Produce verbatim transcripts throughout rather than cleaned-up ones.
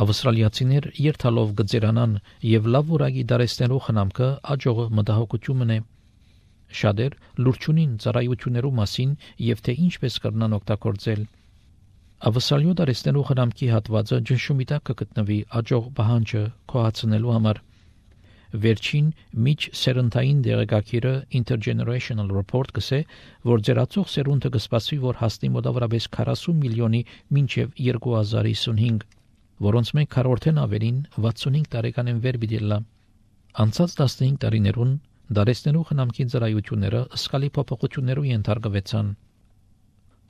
Ավստրալիացիներ երթալով գծերանան եւ լավ որակի դարեստներու խնամքը աջողը մտահոգությունն է։ Շատեր լուրջ ունին ծառայություններու մասին եւ թե ինչպես կրնան օգտագործել։ Ավստրալիո դարեստներու խնամքի հատվածը ճնշումի տակ կգտնվի աջող պահանջը կոհացնելու համար։ Վերջին միջ սերնդային դեղեկագիրը Intergenerational Report կսե, որ ձերացող սերունդը կսպասվի, որ հասնի մոտավորապես քառասուն միլիոնի մինչև երկու հազար հիսունհինգ, որոնց մեկ քառորդեն ավելին վաթսունհինգ տարեկան են վեր բիդելլա։ Անցած տասնհինգ տարիներուն դարեստներու խնամքի ծառայությունները սկալի փոփոխություններու ենթարկվեցան։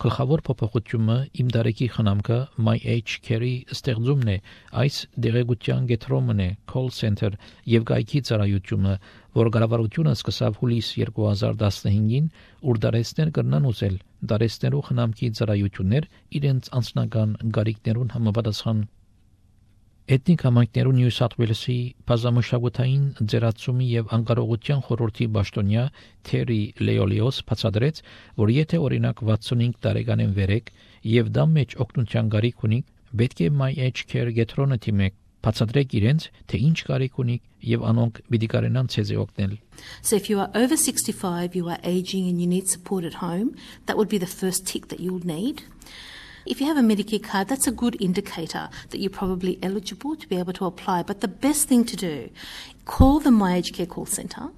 Գլխավոր փոփոխությունը իմ դարեկի խնամքը My Age Care-ի ստեղծումն է, այս դեղեցության գետրոմն է, call center եւ գայքի ծառայությունը, որ կառավարությունը սկսավ հուլիս երկու հազար տասնհինգին, ուր դարեստներ կրնան ուզել դարեստներու խնամքի ծառայություններ իրենց անձնական գարիկներուն համապատասխան։ Էթնիկ համայնքներու Նյու Սաութ Ուելսի բազմամշակութային ձերացումի եւ անկարողության խորհրդի պաշտոնյա Թերի Լեոլիոս բացատրեց, որ եթե օրինակ վաթսունհինգ տարեկան են վերեք եւ դա մեջ օգնության գարիք ունի, պետք է My Age Care գետրոնը թիմեք, բացատրեք իրենց, թե ինչ գարիք ունի եւ անոնք պիտի կարենան ցեզ օգնել։ So if you are over sixty-five, you are aging and you need support at home, that would be the first tick that you'll need. If you have a Medicare card, that's a good indicator that you're probably eligible to be able to apply. But the best thing to do, call the My Age Care call centre,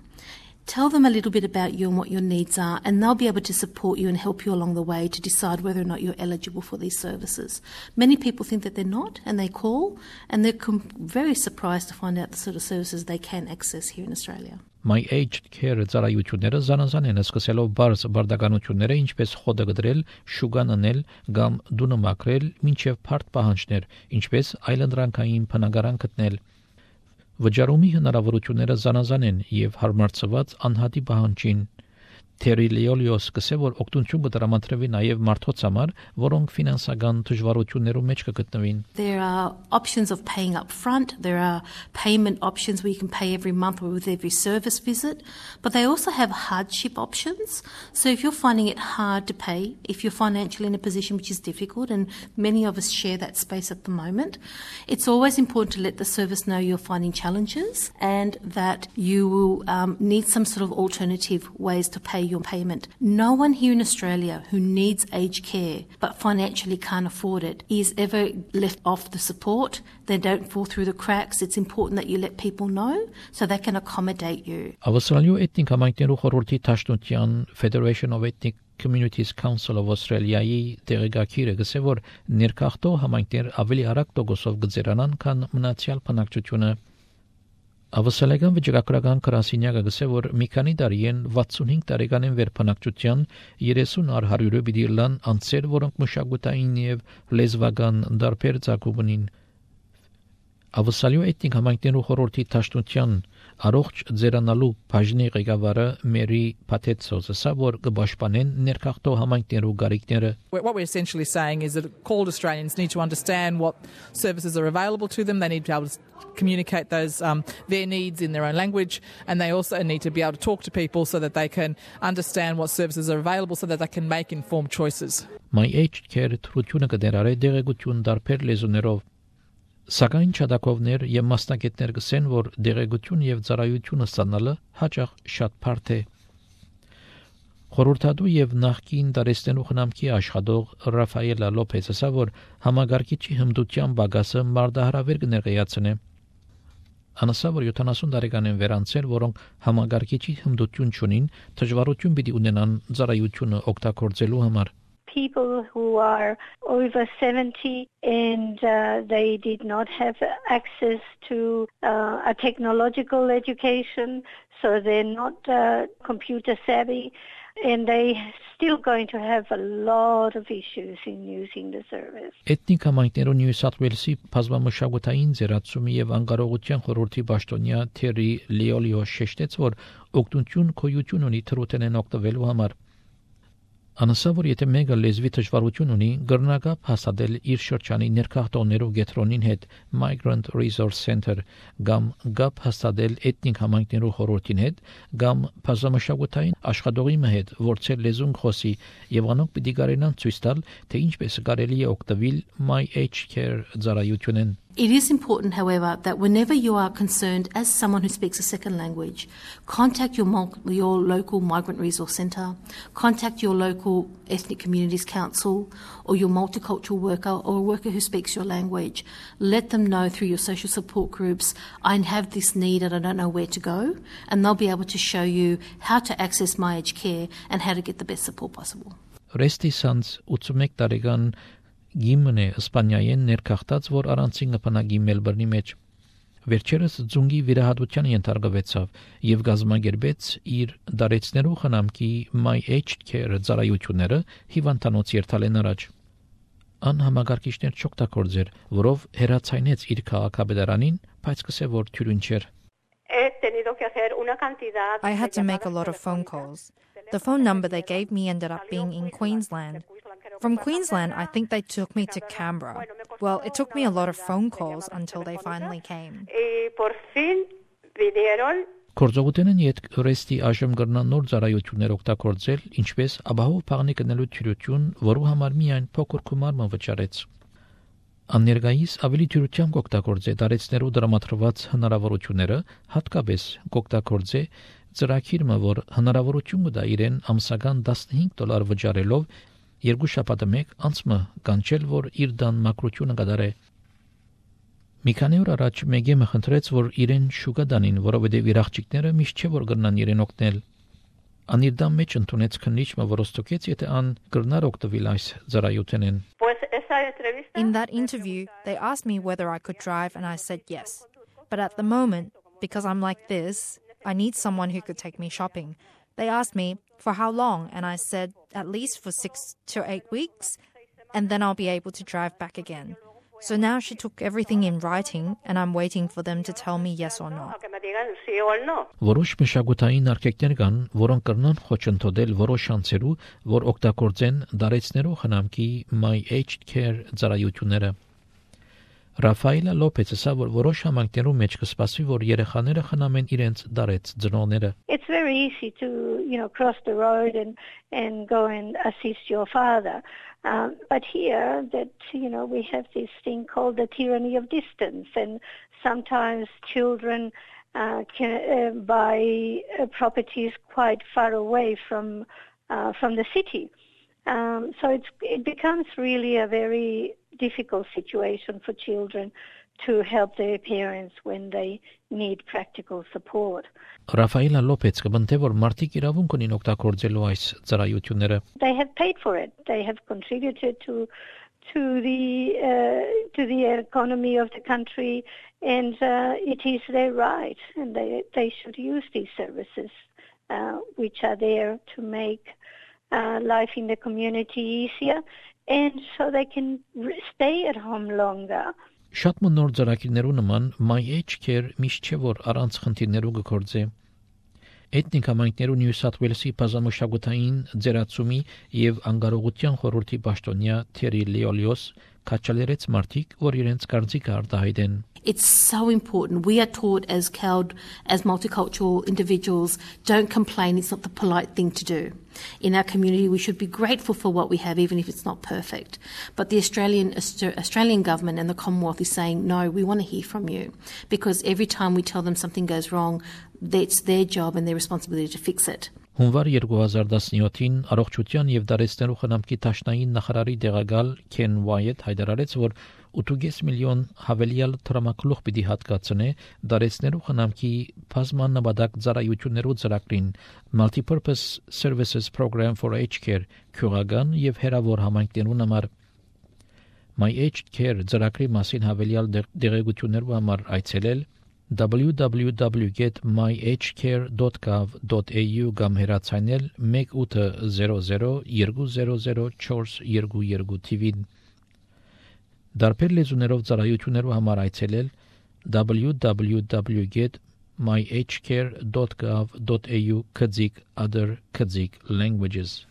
tell them a little bit about you and what your needs are, and they'll be able to support you and help you along the way to decide whether or not you're eligible for these services. Many people think that they're not, and they call, and they're com- very surprised to find out the sort of services they can access here in Australia. My Age Care ծառայությունները զանազան են սկսելով բարձ բարդականությունները, ինչպես խոդը գդրել, շուգան անել կամ դունը մաքրել, մինչև փարտ պահանջներ, ինչպես այլընտրանքային բնակարան գտնել։ Վճարումի հնարավորությունները զանազան են եւ հարմարցված անհատի պահանջին։ Թերի Լեոլիոս կսե, որ օգնություն կտրամադրվի նաև մարդոց համար, որոնք ֆինանսական դժվարություններու մեջ կգտնվին։ There are options of paying up front, there are payment options where you can pay every month or with every service visit, but they also have hardship options. So if you're finding it hard to pay, if you're financially in a position which is difficult, and many of us share that space at the moment, it's always important to let the service know you're finding challenges and that you will um, need some sort of alternative ways to pay your payment. No one here in Australia who needs aged care but financially can't afford it is ever left off the support. They don't fall through the cracks. It's important that you let people know so they can accommodate you. Ավստրալիո էթնիկ համայնքներու խորհրդի Տաշտունտյան Federation of Ethnic Communities Council of Australia-ի դեղեկագիրը գսե, որ ներքախտող համայնքներ ավելի արագ տոկոսով գծերանան, քան մնացյալ բնակչությունը։ Ավստրալիական վիճակագրական գրասենյակը գսե, որ մի քանի տարի են վաթսունհինգ տարեկան են վերբնակչության երեսուն առ հարյուրը պիտի լան անձեր, որոնք մշակութային եւ լեզվական դարբեր ծագում ունին։ Ավստրալիո էթնիկ համայնքներու խորհրդի Տաշտունտյան առողջ ձերանալու բաժնի ղեկավարը Մերի Փաթեցոսը ասա, որ կպաշտպանեն ներքախտող համայնքներու գարիկները։ What we're essentially saying is that called Australians need to understand what services are available to them. They need to be able to communicate those um, their needs in their own language, and they also need to be able to talk to people so that they can understand what services are available so that they can make informed choices. My Age Care թրությունը կդերարի դեղեցություն դարբեր լեզուներով։ Սակայն չադակովներ եւ մասնակիցներ գսեն, որ դեղեցություն եւ ծառայությունը ստանալը հաճախ շատ բարդ է։ Խորհրդատու եւ նախկին դարեստենու խնամքի աշխատող Ռաֆայելա Լոփեսը ասա, որ համագարկիչի հմտության բագասը մարդահրավեր կներկայացնե։ Անասա, որ յոթանասուն տարեկան են վերանցել, որոնք համագարկիչի հմտություն չունին, դժվարություն պիտի ունենան ծառայությունը օգտագործելու համար։ People who are over seventy and uh, they did not have access to uh, a technological education, so they're not uh, computer savvy, and they still going to have a lot of issues in using the service. Էթնիկ համայնքներու Նյու Սաութ Ուելսի բազմամշակութային ձերացումի եւ անկարողության խորհրդի պաշտոնյա Թերի Լեոլիոս շեշտեց, որ օգնություն քոյություն ունի թրութենեն օգտվելու համար։ Անասա, որ եթե մեկը լեզվի դժվարություն ունի, գրնակապ հաստատել իր շրջանի ներքախտողներու գետրոնին հետ Migrant Resource Center կամ գապ հաստատել էթնիկ համայնքներու խորհրդին հետ կամ բազմամշակութային աշխատողի հետ, որ ցեր լեզուն խոսի, եւ անոնք պիտի կարենան ցույց տալ, թե ինչպես կարելի է օգտվել My Age Care ծառայությունեն։ It is important, however, that whenever you are concerned as someone who speaks a second language, contact your, mul- your local migrant resource centre, contact your local ethnic communities council or your multicultural worker or a worker who speaks your language. Let them know through your social support groups, I have this need and I don't know where to go, and they'll be able to show you how to access My Aged Care and how to get the best support possible. Ռեստի սանց ութսունմեկ տարեկան Գիմնե Իսպանիայեն ներքախտած, որ առանցին գփնագի Մելբուրնի մեջ վերջերս ձունգի վիրահատության ենթարկվեցավ եւ գազམ་ագերբեց իր դարեցներու խնամքի My Aged Care ծառայությունները հիվանդանոց երթալեն առաջ անհամագարկիչներ չօգտագործեր, որով հերացայնեց իր քաղաքապետարանին, բայց կսե որ թյուրին չէր. I had to make a lot of phone calls. The phone number they gave me ended up being in Queensland. From Queensland, I think they took me to Canberra. Well, it took me a lot of phone calls until they finally came. Կորձողութենն իդ ռեստի աժմ գրնան նոր ծառայություններ օգտագործել, ինչպես ապահով փաղնի կնելու թյուրություն, որու համար միայն փոքր գումարը վճարեց. Աններգայիս ավելի թյուրությամբ օգտագործե դարեցներու դրամատրված հնարավորությունները, հատկապես օգտագործե ծրագիրը, որ հնարավորություն կտա իրեն ամսական տասնհինգ դոլար վճարելով երկու շաբաթ մեկ անցմը կանչել, որ իր դան մակրությունը կդարե. Մի քանի օր առաջ մեգեմը խնդրեց, որ իրեն շուկա դանին, որովհետև իր աղջիկները միշտ չէ որ կրնան իրեն օգնել. Ան իր դան մեջ ընդունեց քննիչը, որ ոստոկեց, եթե ան կրնար օգտվել այս ծառայությունեն. In that interview, they asked me whether I could drive and I said yes. But at the moment, because I'm like this, I need someone who could take me shopping. They asked me for how long and I said at least for six to eight weeks and then I'll be able to drive back again. So now she took everything in writing and I'm waiting for them to tell me yes or no. Որոշ մշակութային արկեկներ կան, որոնք կրնան խոչընդոտել որոշ շանսերու, որ օգտագործեն դարեցներու խնամքի My Aged Care ծառայությունները. Ռաֆայելա Լոպեզը ասա, որ որոշ համայնքներու մեջ կսպասվի, որ երեխաները խնամեն իրենց դարեց ծնողները. It's very easy to, you know, cross the road and and go and assist your father. Um, but here that, you know, we have this thing called the tyranny of distance, and sometimes children uh, can uh, buy uh, properties quite far away from uh, from the city. Um, so it's, it becomes really a very difficult situation for children to help their parents when they need practical support. Ռաֆայելա Լոպեզը բնթե որ մարդիկ իրավունք ունին օգտագործելու այս ծառայությունները. They have paid for it. They have contributed to to the uh, to the economy of the country, and uh, it is their right, and they they should use these services, uh, which are there to make uh, life in the community easier, and so they can stay at home longer. Շատ մնոր ծրագիրներու նման My Aged Care միշտ չէ որ առանց խնդիրներու գործե. Էթնիկ համայնքներու Նյու Սաթ Ուելսի բազմամշակութային ձեռացումի եւ անկարողության խորհրդի պաշտոնյա Թերի Լիոլիոս քաչալերեց մարդիկ, որ իրենց կարծիքը արտահայտեն. It's so important. We are taught as C A L D, as multicultural individuals, don't complain, it's not the polite thing to do. In our community, we should be grateful for what we have, even if it's not perfect. But the Australian Australian government and the Commonwealth is saying, no, we want to hear from you. Because every time we tell them something goes wrong, it's their job and their responsibility to fix it. Հունվար երկու հազար տասնյոթին առողջության եւ դարեցներու խնամքի տաշնային նախարարի դեղակալ Քեն Ուայեթ հայտարարեց, որ ութ միլիոն հավելյալ տրամակլուխ պիտի հատկացնե դարեցներու խնամքի բազմաննաբադակ ծառայություններու ծրագրին Multipurpose Services Program for Aged Care քյուղական եւ հերավոր համայնքներուն համար. My Aged Care ծրագրի մասին հավելյալ դեղեցություններու համար այցելել w w w dot get my aged care dot gov dot a u կամ հեռացանել one eight zero zero two zero zero four two two թիվին. Դարբեր լեզուներով ծառայություններու համար այցելել w w w dot get my aged care dot gov dot a u քծիկ other քծիկ languages